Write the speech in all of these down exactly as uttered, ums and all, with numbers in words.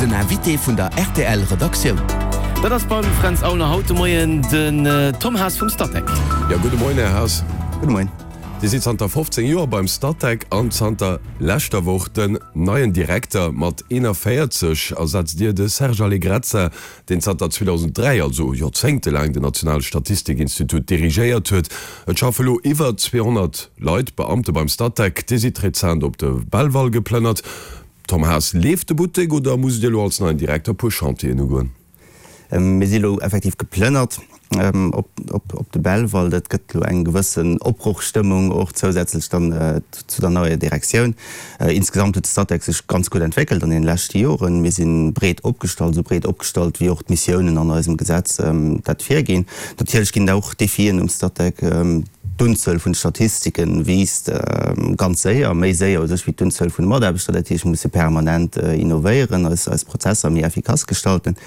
Den Invité vun der R T L Redaktioun. Dat ass beim Fränz Aulner haut de Moien den Tom Haas vum Statec. Jo, gudde Moien, Här Haas. Gudde Moien. Dir sidd zanter fofzéng Joer beim Statec an zanter leschter Woch den neien Direkter. Mat eenanvéierzeg ersetzt Dir de Serge Allegrezza, deen zanter zweedausenddräi, also joerzéngtelaang, den nationale Statistikinstitut dirigéiert huet. Et schaffe lo iwwer zweehonnert Leit, Beamte beim Statec. Dir sidd rezent op de Belval geplënnert. Tom Haas, leeft de Buttek oder musst Dir lo als neien Direkter e puer Chantieren ugoen? Mir si lo effektiv geplënnert op, op, op de Belval. Dat gëtt lo eng gewëssen Opbrochstëmmung och zousätzlech dann zu der neier Direktioun. Insgesamt huet de Statec sech ganz gutt entwéckelt an den leschte Joren. Mir si breet opgestallt, esou breet opgestallt wéi och d'Missiounen an eisem Gesetz dat virginn. Natierlech ginn et och Defien um Statec. D'Unzuel vun de Statistike wiisst ganz séier, méi séier u sech wéi d'Unzuel vun de Mataarbechter. Dat heescht, mir musse permanent innovéieren, eis eis Prozesser méi effikass gestalten.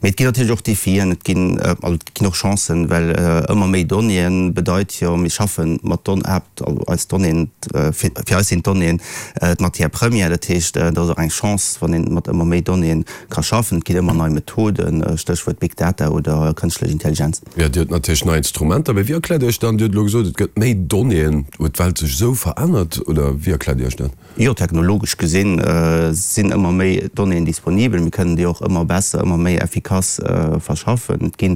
Mee et ginn natierlech och Defien, et ginn, also et ginn och Chancen, well ëmmer méi Donnéeën bedeit jo, mir schaffe mat Don, also eis Donnéeën, fir fir eis sinn d'Donnéeën d'Matière première. Dat heescht, et ass och eng Chance, wann een mat ëmmer méi Donnéeën ka schaffen. Et ginn ëmmer nei Methoden, Stéchwuert Big Data oder kënschtlech Intelligenz. Jo, Dir hutt natierlech nei Instrumenter, mee wéi erkläert Dir Iech dann, Dir hutt elo gesot, et gëtt méi Donnéeën, huet d'Welt sech esou verännert oder wéi erkläert Dir Iech dat? Jo, technologesch gesinn sinn ëmmer méi Donnéeën disponibel. Mir kënnen déi och ëmmer besser, ëmmer méi effikass verschaffen. Et ginn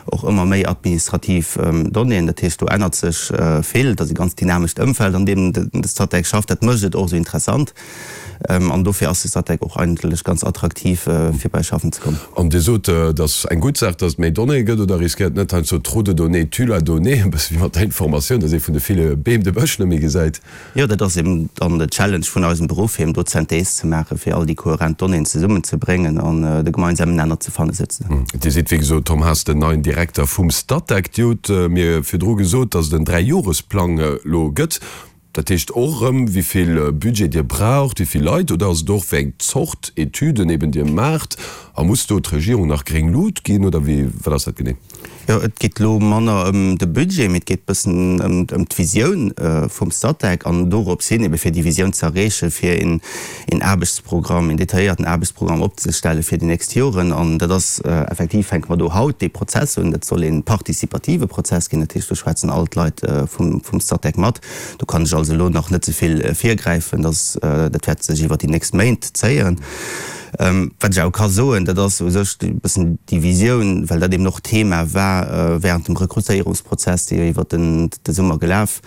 och ëmmer méi administrativ Donnéeën. Dat heescht, do ännert sech vill. Et ass e ganz dynamescht Ëmfeld, an deem de Statec schafft. Dat mécht et och esou interessant. An dofir ass de Statec och eigentlech ganz attraktiv, fir bei schaffen ze kommen. An Dir sot, et ass eng gutt Saach, datt et méi Donnéeë gëtt, oder riskéiert net heiansdo trop de données tue la donnée, e bësse wéi mat der Informatioun, datt ee vun de ville Beem de Bësch net méi gesäit? Jo, dat ass eben dann de Challenge vun eisem Beruff, eben do d'Synthèse ze maachen, fir all déi kohärent Donnéeën zesummen ze bréngen an de gemeinsamen Nenner ze fannen, souzesoen. Dir sidd, wéi gesot, Tom Haas, den neien Direkter vum Statec. Dir hutt mir virdru gesot, datt et en Dräijoresplang elo gëtt. Dat heescht och erëm, wéi vill Budget Dir braucht, wéi vill Leit, oder ass et och, wéi eng Zort Etüden eben Dir maacht? A muss do d'Regierung nach gréng Lut ginn, oder wéi, wat ass dat genee? Jo, et geet elo manner ëm de Budget, mee et geet bëssen ëm ëm d'Visioun vum Statec an dorops hin, ebe fir déi Visioun ze erreechen, fir een een Aarbechtsprogramm, een detailléierten Aarbechtsprogramm opzestelle fir déi nächst Joren. An dat ass effektiv, fänke mer do haut dee Prozess un. Dat soll ee participative Prozess ginn, dat heescht, do schwätzen all d'Leit vum vum Statec mat. Do kann ech also elo nach net ze vill virgräifen, dass dat wäert sech iwwert déi nächst Méint zéien. Wat ech awer ka soen, dat ass u sech e bëssen déi Visioun, well dat eben och Thema war während dem Rekrutéierungsprozess, dee jo iwwert den de Summer gelaf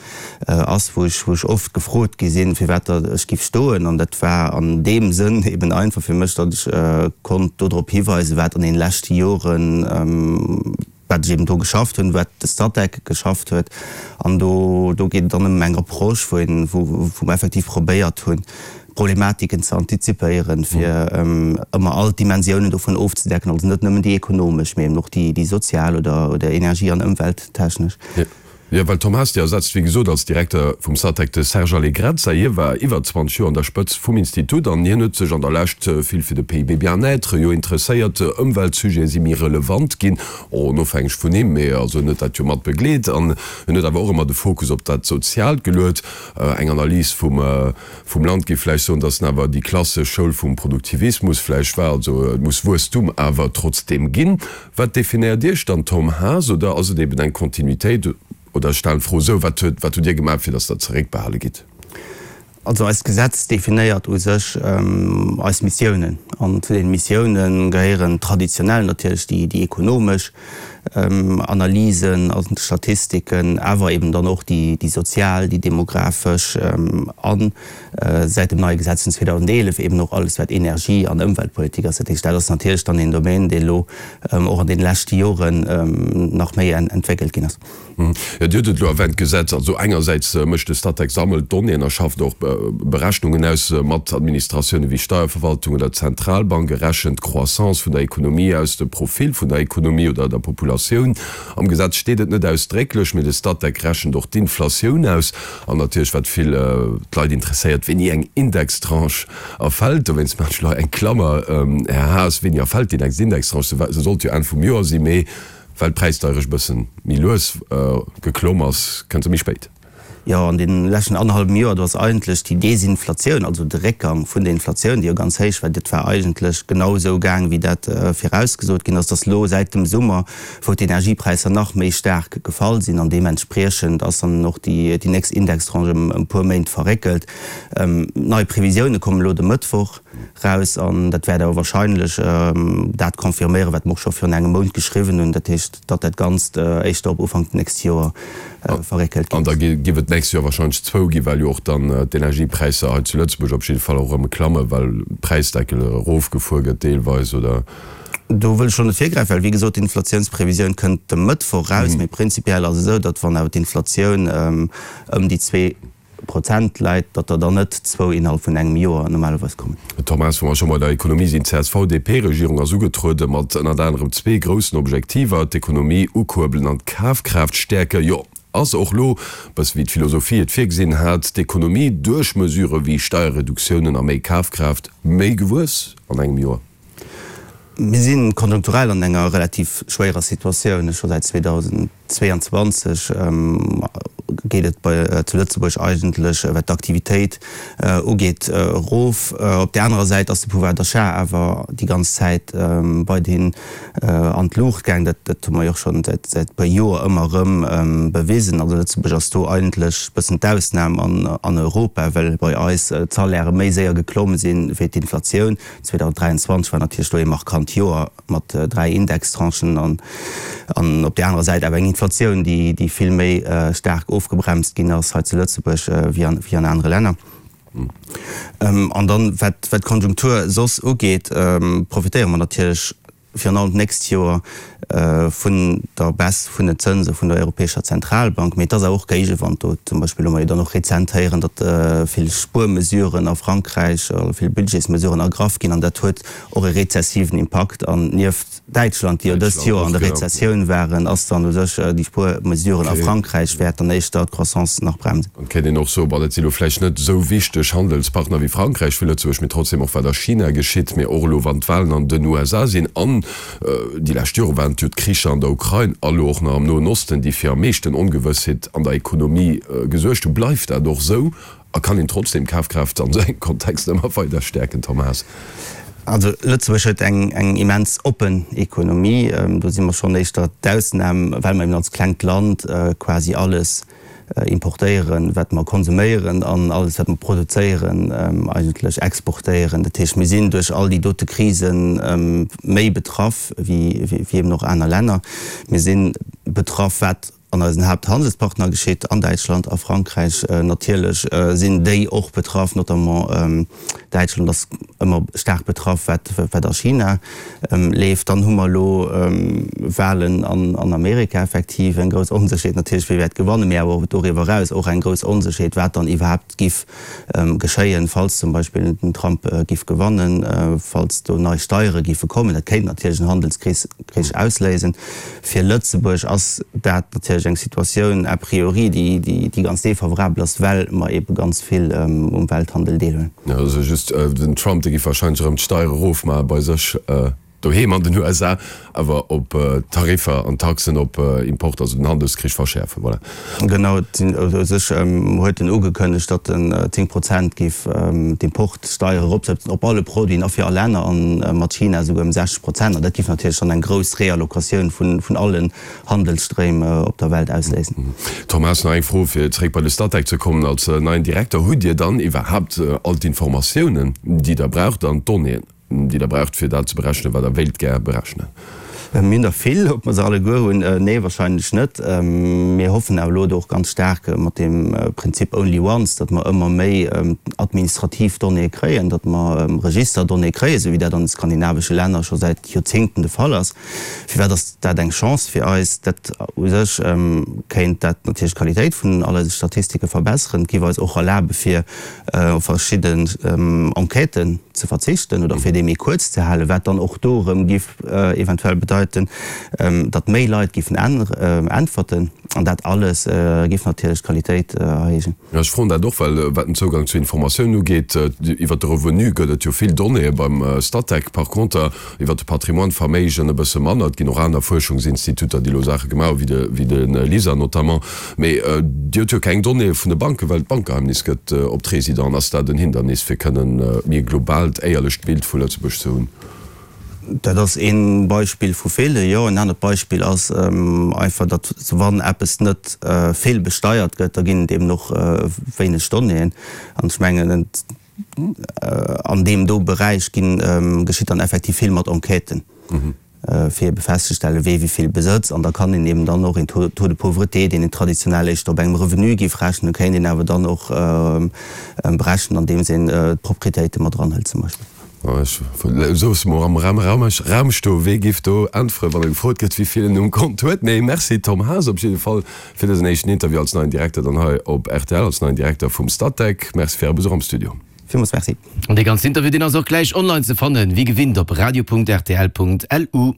ass, wou ech wou ech oft gefrot gi sinn, firwat datt ech giff stoen. An dat war an deem Sënn eben einfach fir mech, datt ech konnt dodrop hiweisen, wat an deene leschte Joren, wat ech eben do geschafft hunn, wat de Statec geschafft huet. An do do geet et dann ëm eng Approche, wou een wou wou mer effektiv probéiert hunn, Problematiken ze antizipéieren, fir ëmmer all d'Dimensiounen dovun ofzedecken, also net nëmmen déi ekonomesch, mee eben och déi déi sozial oder oder energie an ëmwelttechnesch. Jo, well Tom Haas, Dir ersetzt wéi gesot als Direkter vum Statec de Serge Allegrezza. Hie war iwwer zwanzeg Joer an der Spëtzt vum Institut an hien huet sech an der Lescht vill fir de P I B Bien-être jo interesséiert. Ëmweltsujete si méi relevant ginn, onofhängeg vun him, mee also en huet dat jo mat begleet an en huet awer och ëmmer de Fokus op dat Soziaalt geluet. Eng Analys vum vum Land géif vläicht soen, datt en awer déi klassesch Schoul vum Produktivismus vläicht war, also et muss Wuesstum awer trotzdeem ginn. Wat definéiert Iech dann, Tom Haas, oder ass et eben eng Kontinuitéit? Oder ech stellen d'Fro esou, Wat huet, wat hutt Dir gemaach, fir datt Der zeréckbehale gitt? Also eist Gesetz definéiert u sech eis Missiounen. An zu deene Missioune gehéieren traditionell natierlech déi, déi ekonomesch Analysen, also d'Statistiken, awer eben dann och déi, déi sozial, déi demografesch an säit dem neie Gesetz vun zweedausendeelef eben och alles wat Energie an Ëmweltpolitik ass. Dat heescht, dat ass natierlech dann een Domaine, dee elo och an deene leschte Joren nach méi entwéckelt ginn ass. Jo, Dir hutt et elo erwänt, d'Gesetz. Also engersäits mécht de Statec, sammelt Donnéeën a schafft och Berechnungen aus mat Administratioune wéi Steierverwaltung oder Zentralbank, e rechent d'Croissance vun der Ekonomie aus, de Profil vun der Ekonomie oder der Populatioun. Am Gesetz steet et net ausdrécklech, mee de Statec rechent och d'Inflatioun aus. An natierlech, wat vill d'Leit interesséiert, wéini eng Indextranche erfält. Dowéinst maachen ech elo hei eng Klammer, Här Haas, wéini erfält déi nächst Indextranche? Se sollt jo Enn vum Joer sinn, mee well d'Präisdeierecht e bëssen méi lues geklomm ass, kënnt se méi spéit. Jo, an deene leschten annerhallwem Joer, do ass eigentlech déi Desinflatioun, also de Réckgang vun der Inflatioun, déi jo ganz héich war, dat war eigentlech genau esou gaang, wéi dat virausgesot ginn ass. Dass elo säit dem Summer, wou d'Energiepräisser nach méi staark gefall sinn an deementspriechend ass dann och déi nächst Indextranche ëm e puer Méint verréckelt. Nei Previsioune kommen elo de Mëttwoch raus an dat wäert awer wahrscheinlech dat confirméieren, wat mer och scho virun engem Mount geschriwwen hunn, dat heescht, datt dat Ganzt éischter op Ufank d'nächst Joer verréckelt An gëtt. da géif et d'nächst Joer wahrscheinlech zwou ginn, well jo och dann d'Energiepräisser hei zu Lëtzebuerg op jidde Fall och erëm klammen, well Präisdeckel erofgefuer gëtt deelweis, oder? Do wëll ech elo net virgräifen, well wéi gesot, d'Inflatiounsprevisioun kënnt de Mëttwoch raus. Mee prinzipiell ass et esou, datt wann awer d'Inflatioun ëm déi zwee Prozent läit, datt der dann net zwou innerhalb vun engem Joer normalerweis kommen. Thomas, wa mer scho bei der Ekonomie sinn, D'CSV-DP-Regierung ass ugetruede mat ënnert anerem zwee groussen Objektiver, d'Ekonomie ukuerbelen an d'Kafkraaft stäerken. Jo, ass och lo, bësse wéi d'Philosophie et virgesinn hat, d'Ekonomie duerch Mesurë wéi Steierreduktiounen a méi Kafkraaft méi gewuess an engem Joer? Mir si konjunkturell an enger relativ schwéierer Situatioun. Scho säit zweedausendzweeanzwanzeg geet et bei zu Lëtzebuerg eigentlech, wat d'Aktivitéit ugeet, erof. Op där anerer Säit ass de Pouvoir d'achat awer déi ganz Zäit weiderhin an d'Luucht gaang. Dat hu mer jo och scho säit e puer Joer ëmmer erëm bewisen. Also Lëtzebuerg ass do eigentlech e bëssen d'Ausnam an Europa, well bei eis d'Salairë méi séier geklomm sinn wéi d'Inflatioun. zweedausenddräianzwanzeg war natierlech do ee markant Joer mat dräi Indextranchen an op där anerer Säit awer eng Inflatioun, déi vill méi staark ofgebremst ginn ass hei zu Lëtzebuerg wéi an anere Länner. An dann, wat d'Konjunktur soss ugeet, profitéiere mer natierlech virun allem d'nächst Joer vun der Baisse vun den Zënse vun der Europäescher Zentralbank. Mee et ass awer och Géigewand do. Zum Beispill hu mer jo dann och rezent héieren, datt vill Spuermesuren a Frankräich, vill Budgetsmesuren ergraff ginn an dat huet och e rezessiven Impakt. An nieft Däitschland, déi jo dëst Joer an der Rezessioun waren, ass dann u sech déi Spuermesuren a Frankräich wäert dann éischter d'Croissance nach bremsen. Et kéint een och soen, bon, dat si lo vläicht net esou wichteg Handelspartner wéi Frankräich fir Lëtzebuerg, mee trotzdem och wat a China geschitt, mee och elo wann d'Wahlen an den U S A sinn an déi lescht Jore waren et jo d'Kricher an der Ukrain a lo och nach am Noen Osten, déi fir am meeschten Ongewëssheet an der Ekonomie gesuergt hunn. Bleift dat och esou a kann een trotzdem d'Kafkraaft an esou engem Kontext ëmmer weider stäerken, Tom Haas? Also Lëtzebuerg huet eng eng immens oppen Ekonomie. Do si mer schonn éischter d'Ausnam, well mer eben als klengt Land quasi alles importéieren, wat mer konsuméieren, an alles, wat mer produzéieren, eigentlech exportéieren. Dat heescht, mir sinn duerch all déi dote Krise méi betraff wéi eben och aner Länner. Mir si betraff, wat an eisen Haapthandelspartner geschitt, an Däitschland, a Frankräich. Natierlech sinn déi och betraff, notamment Däitschland ass ëmmer staark betraff, wat wat a China leeft. Dann hu mer elo Wahlen an Amerika, effektiv eng grouss Onsécherheet natierlech, wie wäert gewannen, mee awer och doriwwer eraus och eng grouss Onsécherheet, wat dann iwwerhaapt giff geschéien, falls zum Beispill den Trump giff gewannen, falls do nei Steiere giffe kommen. Dat kéint natierlech en Handelskrich ausléisen. Fir Lëtzebuerg ass dat natierlech eng Situatioun a priori, déi ganz defavorabel ass, well mer eebe ganz vill um Welthandel deelhuelen. Jo, also just den Trump, dee giff wahrscheinlech erëm d'Steiere erofmaache bei sech doheem an den U S A, awer op Tariffer an Taxen op Import, also den Handelskrich verschäerfen. Voilà. Genau, u sech huet en ugekënnegt, datt en zéng Prozent géif d'Importsteier eropsetzen op alle Produiten a fir all Länner, a mat China esouguer ëm sechzeg Prozent. An dat géif natierlech dann eng grouss Reallocatioun vun allen Handelsstréim op der Welt ausléisen. Thomas, nach eng Fro, fir zeréck bei de Statec ze kommen. Als neien Direkter, hutt Dir dann iwwerhaapt all d'Informatiounen, déi Der braucht, an d'Donnéeën, déi Der braucht, fir dat ze berechnen, wat Der wéilt gär berechnen? Mir hunn der vill. Ob mer se alleguer hunn? Nee, wahrscheinlech net. Mir hoffen awer elo do och ganz staark mat deem Prinzip only once, datt mer ëmmer méi administrativ Donnéeë kréien, datt mer Registerdonnéeë kréien, esou wéi dat an de skandinavesche Länner scho säit Joerzéngten de Fall ass. Firwat ass dat eng Chance fir eis? Dat u sech kéint dat natierlech d'Qualitéit vun all eise Statistike verbesseren. Et géif eis och erlabe fir op verschidden Enquêten ze verzichten oder fir déi méi kuerz ze halen, wat dann och do erëm géif eventuell bedeiten, bedeiten, datt méi Leit géifen äntwerten an dat alles géif natierlech d'Qualitéit erhéijen. Jo, ech froen dat och, well wat den Zougang zu Informatiounen ugeet, iwwert de Revenu gëtt et jo vill Donnéeë beim Statec, par conter iwwert de Patrimoine, Verméigen e bësse manner. Et ginn och aner Fuerschungsinstituter, déi elo Saache gemaach hu wéi de LISER notamment. Mee Dir hutt jo keng Donnéeë vun de Banken, well d'Bankgeheimnis gëtt op d'Residenten. Ass dat en Hindernis, fir kënnen méi e globaalt, éierlecht Bild vu Lëtzebuerg ze hunn? Dat ass ee Beispill vu ville, jo. En anert Beispill ass einfach, datt wann eppes net vill besteiert gëtt, da ginn et eben och wéineg Donnéeën. An ech mengen, an deem do Beräich ginn, geschitt dann effektiv vill mat Enquêten, fir ebe festzestellen, wee wéi vill besëtzt. An da kann een eben dann och een Taux de pauvreté, deen een traditionell éischter op engem Revenu géif rechnen, kéint een awer dann och berechnen, andeems een d'Proprietéite mat eranhëlt zum Beispill. Ech loosse mol am Raum stoen, wee géif do äntweren, wann e gefrot gëtt, wéi vill en um Kont huet. Mee Merci Tom Haas op jidde Fall fir dësen éischten Interview als neien Direkter dann hei op rtl, als neien Direkter vum Statec. Merci fir Äre Besuch am Studio. Villmools Merci. An dee ganzen Interview, deen ass och gläich online ze fannen, wéi gewinnt op radio.rtl.lu.